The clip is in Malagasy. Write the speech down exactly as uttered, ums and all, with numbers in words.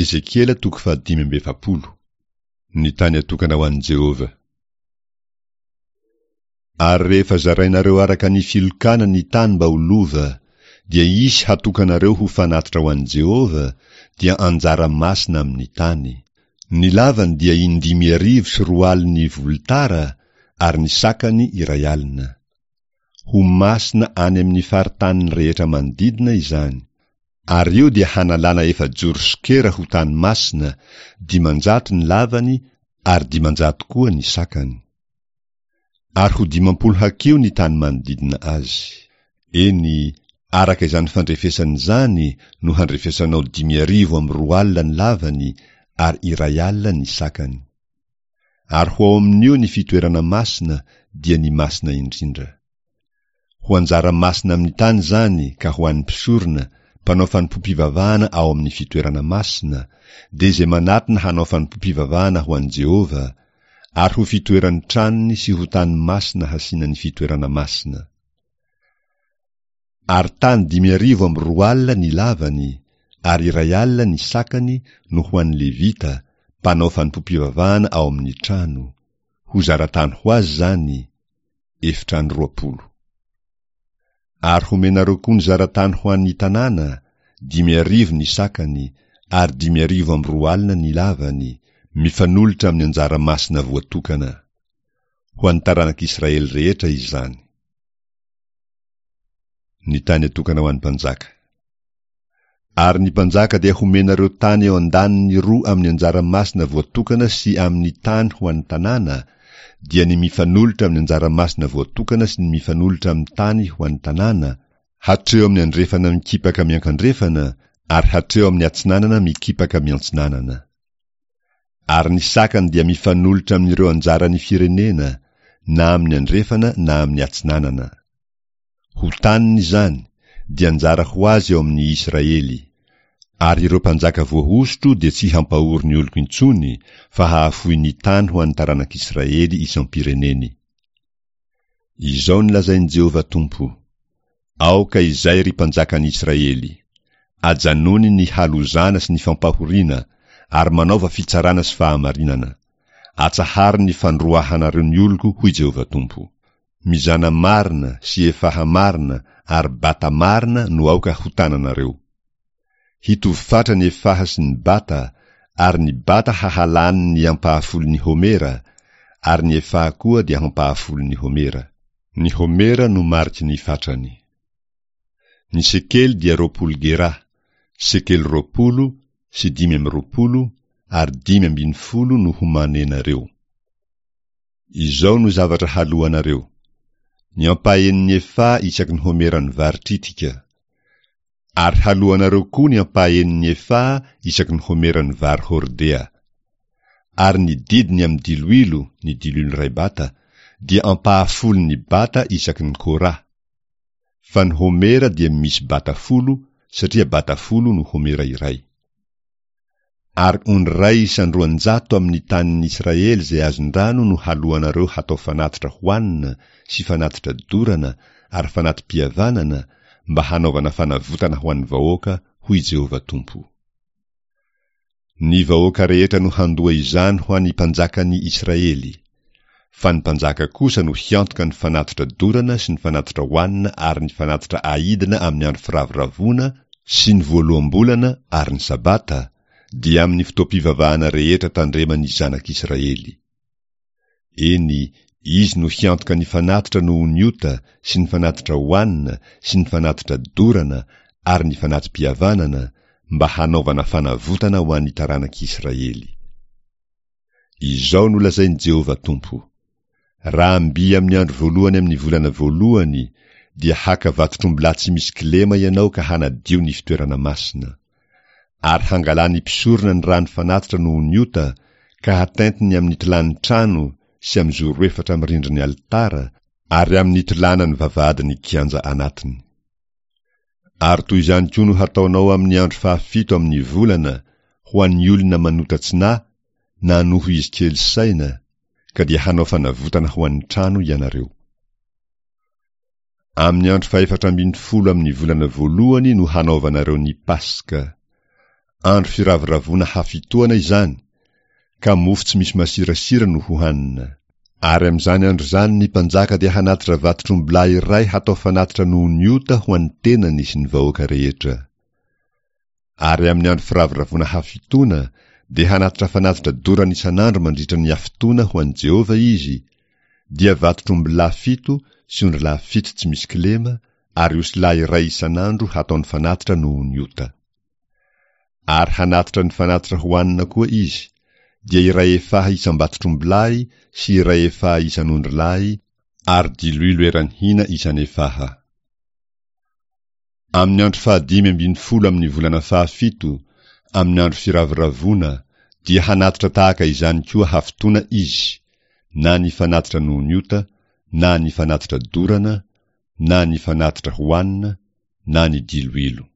Ezekiela toko fahadimy amby efapolo. Ny tany atokana ho an'i Jehovah. Ary rehefa zarainareo araka ny filokana ny tany mba ho lova, dia hisy hatokanareo ho fanatitra ho an'i Jehovah, dia anjara masina amin'ny tany. Ny lavany dia indimy arivo sy roa alin'ny volotara ary ny sakany iray alina. Ho masina any amin'ny faritaniny rehetra manodidina izany. Ary io dia hanalana efajoro sokera ho tany masina, dimanjato ny lavany ary dimanjato koa ny sakany. Ary ho dimampolo hakiho ny tany manodidina azy. Eny, araka izany fandrefesana izany no handrefesanao dimy arivo amby roa alina ny lavany ary iray alina ny sakany. Ary ho ao amin'io ny fitoerana masina dia ny masina indrindra. Ho anjara masina amin'ny tany izany ka ho an'ny mpisorona, mpanao fanompoam-pivavahana ao amin'ny fitoerana masina, dia izay manatona hanao fanompoam-pivavahana ho an'i Jehovah, ary ho fitoeran'ny tranony sy ho tany masina hasiana ny fitoerana masina. Ary tany dimy arivo amby roa alina ny lavany, ary iray alina ny sakany no ho an'ny Levita, mpanao fanompoam-pivavahana ao amin'ny trano. Ho zaratany ho azy izany, efitrano roapolo. Ary homenareo koa ny zaratany ho an'ny tanàna, dimy arivo ny sakany, ary dimy arivo amby roa alina ny lavany, mifanolotra amin'ny anjara masina voatokana. Ho an'ny taranak'Israely rehetra izany. Ny tany atokana ho an'ny mpanjaka. Ary ny mpanjaka dia homenareo tany eo an-daniny roa amin'ny anjara masina voatokana sy amin'ny tany ho an'ny tanàna, dia ny mifanolotra amin'ny anjara masina voatokana sy ny mifanolotra amin'ny tany ho an'ny tanàna, hatreo amin'ny andrefana mikipaka miankandrefana ary hatreo amin'ny atsinanana mikipaka miantsinanana. Ary ny sakany dia mifanolotra amin'ireo anjaran'ny firenena, na amin'ny andrefana na amin'ny atsinanana. Ho taniny izany, dia anjara ho azy eo amin'ny Israely. Ary ireo mpanjaka voahosotro dia tsy hampahory ny oloko intsony, fa hahafoy ny tany ho an'ny taranak'Israely isam-pireneny. Izao no lazain'i Jehovah Tompo, Aoka izay ry mpanjakan'i Israely! Ajanony ny halozana sy ny fampahoriana, ary manaova fitsarana sy fahamarinana. Atsaharo ny fandroahanareo ny oloko, hoy Jehovah Tompo. Mizana marina sy efaha marina ary bata marina no aoka ho tananareo. Hitovy fatra ny efaha sy ny bata, ary ny bata hahalany ny ampahafolon'ny homera, ary ny efaha koa dia ampahafolon'ny homera. Ny homera no mariky ny fatrany. Ny sekely dia roapolo gerà, sekely roapolo sy dimy amby roapolo ary dimy ambin'ny folo no homanenareo. Izao no zavatra haloanareo: ny ampahenin'ny efaha isaky ny homeran'ny vary tritika. Ary haloanareo koa ny ampahenin'ny efaha isaky ny homeran'ny vary hordea. Ary ny didiny amin'ny diloilo, ny diloilo iray bata, dia ampahafolon'ny bata isaky ny kora. Fa ny homera dia misy bata folo, satria bata folo no homera iray. Ary ondry iray isan-droanjato amin'ny tanin'ny Israely izay azon-drano no haloanareo hatao fanatitra hohanina sy fanatitra dorana ary fanati-pihavanana mba hanaovana fanavotana ho an'ny vahoaka, hoy Jehovah Tompo. Ny vahoaka rehetra no handoa izany ho an'ny mpanjakan'ny Israely. Fa ny mpanjaka kosa no hiantoka ny fanatitra dorana sy ny fanatitra hohanina ary ny fanatitra aidina amin'ny andro firavoravoana sy ny voaloham-bolana ary ny sabata, dia amin'ny fotoam-pivavahana rehetra tandreman'ny zanak'Israely. Eny, izy no hiantoka ny fanatitra noho ny ota sy ny fanatitra hohanina sy ny fanatitra dorana ary ny fanati-pihavanana mba hanaovana fanavotana ho an'ny taranak'Israely. Izao no lazain'i Jehovah Tompo, Raha mby amin'ny andro voalohany amin'ny volana voalohany, dia haka vatotr'ombilahy tsy misy kilema ianao ka hanadio ny fitoerana masina. Ary hangalan'ny mpisorona ny rano fanatitra noho ny ota, ka hatentiny amin'ny tolàn'ny trano sy amin'ny zoro efatra amin'ny rindrin'ny alitara, ary amin'ny tolànan'ny vavahadin'ny kianja anatiny. Ary toy izany koa no hataonao amin'ny andro fahafito amin'ny volana ho an'ny olona manota tsy nahy na noho izy kely saina, ka dia hanao fanavotana ho an'ny trano ianareo. Amin'ny andro fahefatra ambin'ny folo amin'ny volana voalohany no hanaovanareo ny Paska. Andro firavoravoana hafitoana izany, ka mofo tsy misy masirasira no hohanina. Ary amin'izany andro izany ny mpanjaka dia hanatitra vatotr'ombilahy iray hatao fanatitra noho ny ota ho an'ny tenany sy ny vahoaka rehetra. Ary amin'ny andro firavoravoana hafitoana dia hanatitra fanatitra dorana isan'andro mandritra ny hafitoana ho an'i Jehovah izy, dia vatotr'ombilahy fito sy ondrilahy fito tsy misy kilema ary osilahy iray isan'andro hataony fanatitra noho ny ota. Ary hanatitra ny fanatitra hohanina koa izy, dia iray efaha isam-batotr'ombilahy sy iray efaha isan'ondrilahy ary diloilo eran'ny hina isan'efaha. Amin'ny andro fahadimy ambin'ny folo amin'ny volana fahafito, amin'ny andro firavoravoana, dia hanatitra tahaka izany koa hafitoana izy, na ny fanatitra noho ny ota, na ny fanatitra dorana, na ny fanatitra hohanina, na ny diloilo.